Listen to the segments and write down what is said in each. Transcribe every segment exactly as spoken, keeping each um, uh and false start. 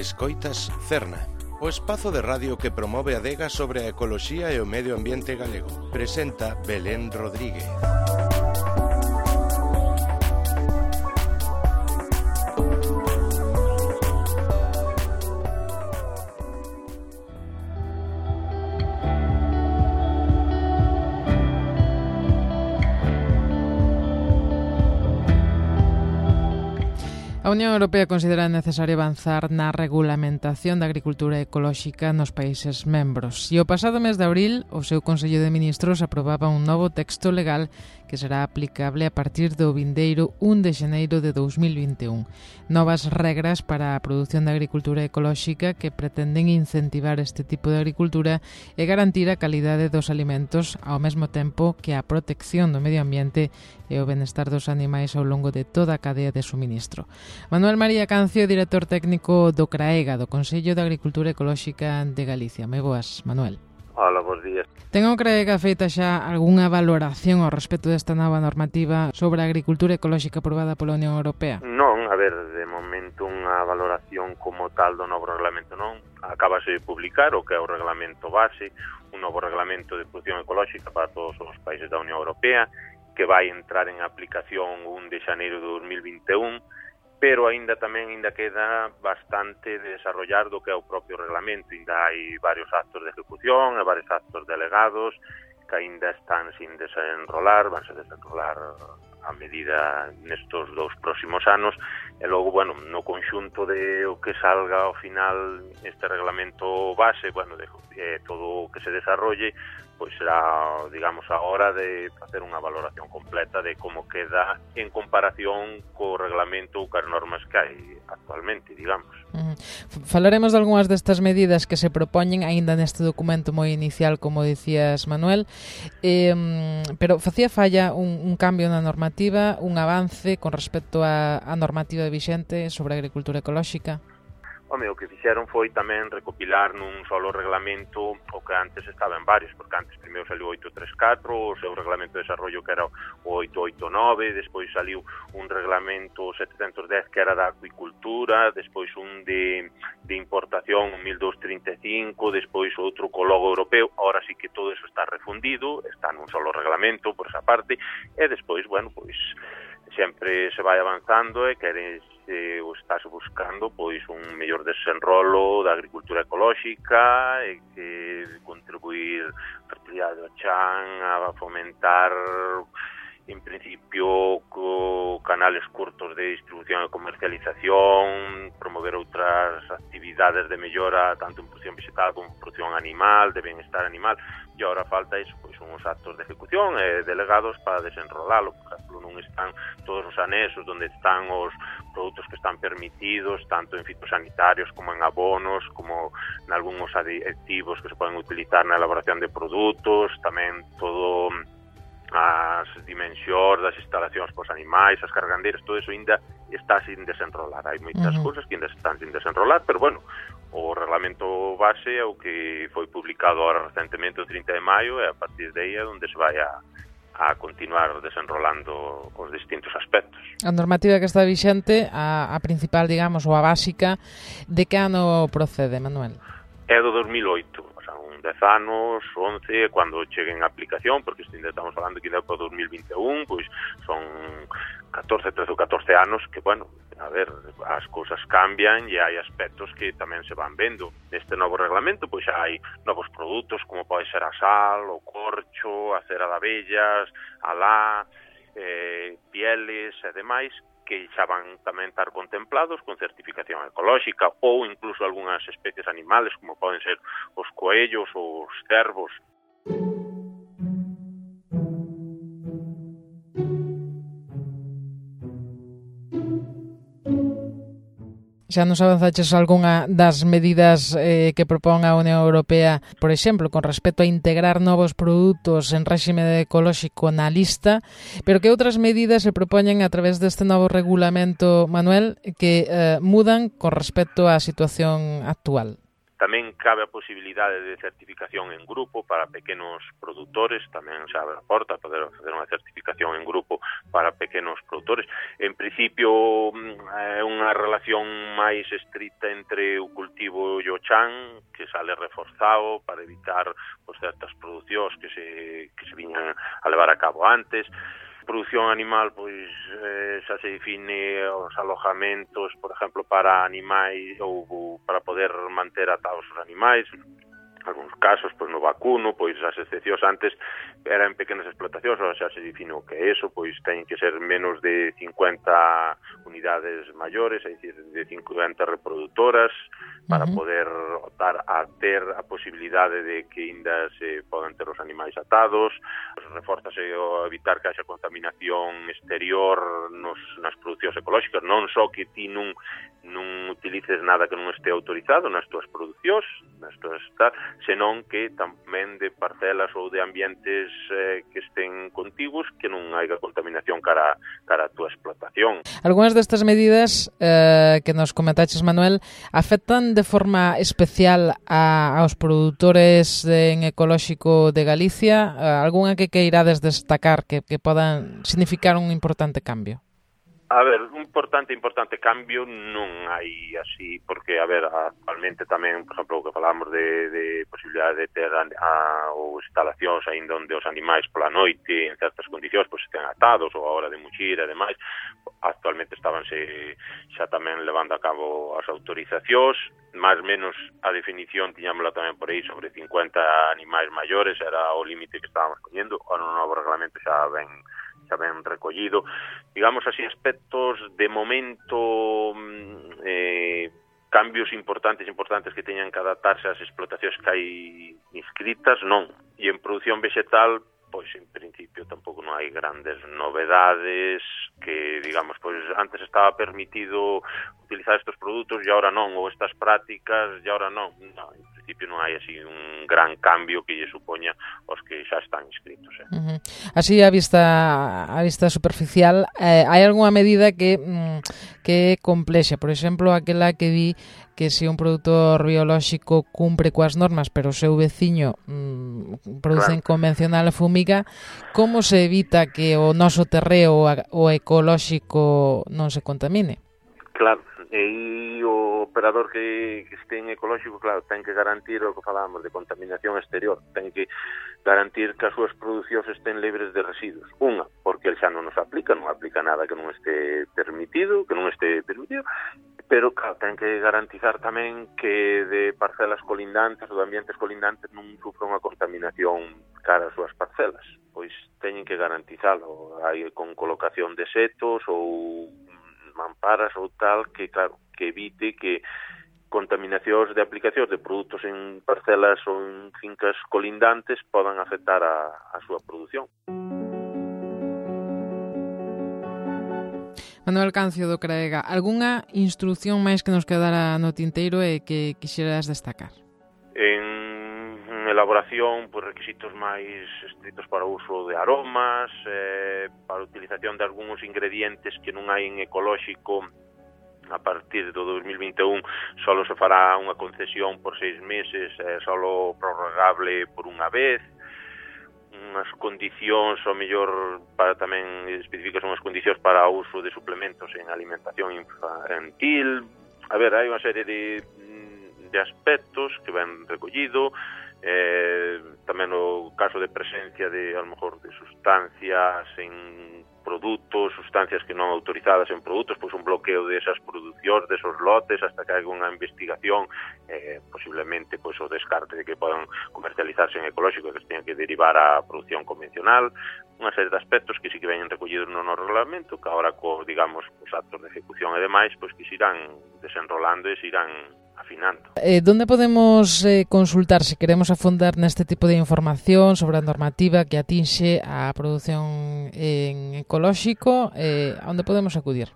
Escoitas Cerna, o espazo de radio que promove a adega sobre a ecoloxía e o medio ambiente galego. Presenta Belén Rodríguez. A Unión Europea considera necesario avanzar na regulamentación da agricultura ecolóxica nos países membros. E o pasado mes de abril, o seu Consello de Ministros aprobaba un novo texto legal que será aplicable a partir do vindeiro un de xaneiro de dous mil vinte e un. Novas regras para a produción da agricultura ecolóxica que pretenden incentivar este tipo de agricultura e garantir a calidade dos alimentos ao mesmo tempo que a protección do medio ambiente e o benestar dos animais ao longo de toda a cadea de suministro. Manuel María Cancio, director técnico do CRAEGA, do Consello de Agricultura Ecolóxica de Galicia. Moi boas, Manuel. Hola, bons días. Ten o CRAEGA feita xa algunha valoración ao respecto desta nova normativa sobre a agricultura ecolóxica aprobada pola Unión Europea? Non, a ver, de momento unha valoración como tal do novo reglamento non. Acabase de publicar o que é o reglamento base, un novo reglamento de producción ecolóxica para todos os países da Unión Europea, que vai entrar en aplicación un de xaneiro de dous mil vinte e un, pero aínda tamén aínda queda bastante de desarrollar do que é o propio reglamento. Aínda hai varios actos de ejecución e varios actos delegados que aínda están sin desenrolar, vanse desenrolar a medida nestos dous próximos anos, e logo, bueno, no conxunto de o que salga ao final este reglamento base, bueno, de eh, todo o que se desarrolle, pois será, digamos, a hora de facer unha valoración completa de como queda en comparación co reglamento ou cas normas que hai actualmente, digamos. Uh-huh. Falaremos de algunhas destas medidas que se propoñen aínda neste documento moi inicial, como dicías, Manuel, eh, pero facía falla un, un cambio na normativa, un avance con respecto á normativa vixente sobre a agricultura ecolóxica? Home, o que fixeron foi tamén recopilar nun solo reglamento o que antes estaba en varios, porque antes primeiro saliu o oito treinta e catro, o seu reglamento de desarrollo que era o oito oito nove, despois saliu un reglamento setecentos dez que era da acuicultura, despois un de, de importación, un mil doscientos trinta e cinco, despois outro co logo europeo. Ahora sí que todo eso está refundido, está nun solo reglamento por esa parte, e despois, bueno, pois sempre se vai avanzando e queres eh, o estás buscando pois un mellor desenrolo da agricultura ecolóxica e que contribuir a fertilidade do chan, a fomentar en principio co canales curtos de distribución e comercialización, promover outras actividades de mellora tanto en produción vegetal como en produción animal, de benestar animal, e agora falta iso, pois uns actos de ejecución e delegados para desenrolalo. Por exemplo, non están todos os anexos onde están os produtos que están permitidos, tanto en fitosanitarios como en abonos, como en algúns aditivos que se poden utilizar na elaboración de produtos, tamén todo as dimensións das instalacións pos animais, as cargandeiras, todo eso ainda está sin desenrolar. Hai moitas uh-huh. cousas que ainda están sin desenrolar, pero bueno, o reglamento base é o que foi publicado agora recentemente o trinta de maio, e a partir de aí é onde se vai a, a continuar desenrolando os distintos aspectos. A normativa que está vixente, a, a principal, digamos, ou a básica, de que ano procede, Manuel? É do dos mil oito, o sea, un dez anos, once, cando chegue en aplicación, porque ainda estamos falando que ainda para dos mil vinte e un, pois son catorce, trece ou catorce anos que, bueno, a ver, as cousas cambian e hai aspectos que tamén se van vendo. Neste novo reglamento, pois hai novos produtos como pode ser a sal, o corcho, a cera de abellas, a lá, eh, pieles e demais, que xa van tamén estar contemplados con certificación ecolóxica, ou incluso algunhas especies animales como poden ser os coellos ou os cervos. Xa nos avanzaches algunha das medidas eh, que propón a Unión Europea, por exemplo, con respecto a integrar novos produtos en réxime ecolóxico na lista, pero que outras medidas se propoñen a través deste novo regulamento, Manuel, que eh, mudan con respecto á situación actual? Tamén cabe a posibilidade de certificación en grupo para pequenos produtores, tamén se abre a porta a poder facer unha certificación en grupo para pequenos produtores. En principio é unha relación máis estrita entre o cultivo e o chan, que sale reforzado para evitar pues, certas producións que se, que se viñan a levar a cabo antes. Produción animal, pois eh, xa se define os alojamentos, por exemplo, para animais ou, ou para poder manter atados os animais. Alguns casos, pois no vacuno, pois as excepcións antes eran pequenas explotacións, agora xa se define o que é eso, pois teñen que ser menos de cincuenta unidades maiores, é dicir, de cincuenta reproductoras, para uh-huh. poder optar a ter a posibilidade de que ainda se podan ter os animais atados. Refórzase o evitar que haxa contaminación exterior nos, nas producións ecolóxicas, non só que ti non, non utilices nada que non este autorizado nas túas producións, nas túas tal, senón que tamén de parcelas ou de ambientes eh, que estén contiguos, que non haiga contaminación cara, cara a túa explotación. Algúnas destas medidas eh, que nos comentaches, Manuel, afectan de forma especial a, aos produtores de, en ecolóxico de Galicia? Eh, algunha que queirades destacar que, que podan significar un importante cambio? A ver, un importante, importante cambio non hai así, porque, a ver, actualmente tamén, por exemplo, o que falamos de, de posibilidade de ter a, a, ou instalacións aínda onde os animais pola noite, en certas condicións, pois estén atados, ou a hora de muxir e demais, actualmente estabanse xa tamén levando a cabo as autorizacións, máis menos a definición tiñámola tamén por aí sobre cincuenta animais maiores, era o límite que estábamos poñendo, o no novo reglamento xa ben xa ben recollido. Digamos así, aspectos de momento, eh, cambios importantes, importantes que teñan que adaptarse ás explotacións que hai inscritas, non. E en produción vegetal, pois en principio tampouco non hai grandes novedades, que, digamos, pois antes estaba permitido utilizar estes produtos e agora non, ou estas prácticas e agora non. Non, en principio non hai así un gran cambio que lle supoña os que xa están inscritos. Eh. Uh-huh. Así, a vista a vista superficial, eh, hai algunha medida que mm, que é complexa, por exemplo, aquela que di que se un produtor biolóxico cumpre coas normas, pero o seu veciño mm, produce claro. convencional e fumiga, como se evita que o noso terreo o ecolóxico non se contamine? Claro, e o operador que, que este en ecolóxico, claro, ten que garantir o que falábamos de contaminación exterior, ten que garantir que as súas producións estén libres de residuos. Unha, porque el xa non nos aplica, non aplica nada que non este permitido, que non este permitido, pero, claro, ten que garantizar tamén que de parcelas colindantes ou de ambientes colindantes non sufra unha contaminación cara ás súas parcelas. Pois teñen que garantizalo, hai con colocación de setos ou mamparas ou tal, que, claro, que evite que contaminacións de aplicacións de produtos en parcelas ou en fincas colindantes podan afectar a, a súa produción. Manuel Cancio do Craega, algunha instrucción máis que nos quedara no tinteiro e que quixeras destacar? En elaboración, pues, requisitos máis estritos para o uso de aromas, eh, para a utilización de algúns ingredientes que non hai en ecolóxico. A partir do dos mil vinte e un solo se fará unha concesión por seis meses, eh, solo prorrogable por unha vez. Unhas condicións, ao mellor, para tamén especificas unhas condicións para o uso de suplementos en alimentación infantil. A ver, hai unha serie de, de aspectos que ven recollido. Eh, tamén o caso de presencia de, a lo mejor, de sustancias en produtos, sustancias que non autorizadas en produtos, pois un bloqueo desas producións, desos lotes, hasta que haga unha investigación, eh, posiblemente pois o descarte de que podan comercializarse en ecolóxico, que se teñan que derivar á produción convencional, unha serie de aspectos que sí que veñen recollidos no novo reglamento, que agora, co, digamos, os actos de ejecución e demais, pois que se irán desenrolando e se irán afinando. Eh, ¿Dónde podemos eh, consultar se queremos afondar neste tipo de información sobre a normativa que atinxe a produción en ecolóxico? Eh, onde podemos acudir?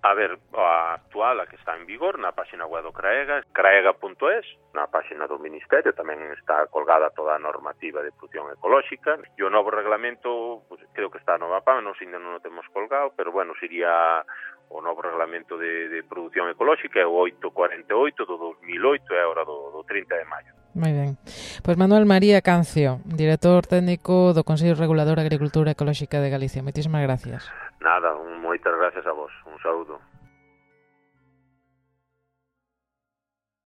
A ver, a actual, a que está en vigor, na página web do Craega, craega punto es, na página do Ministerio tamén está colgada toda a normativa de produción ecolóxica, e o novo reglamento, pues, creo que está a nova página, non, ainda non o temos colgado, pero bueno, sería o novo reglamento de, de produción ecolóxica, é o oito cuarenta e oito do dos mil oito, é agora do, do trinta de maio. Moi ben. Pois Manuel María Cancio, director técnico do Consello Regulador de Agricultura Ecolóxica de Galicia. Moitísimas gracias. Nada, moitas gracias a vos. Un saúdo.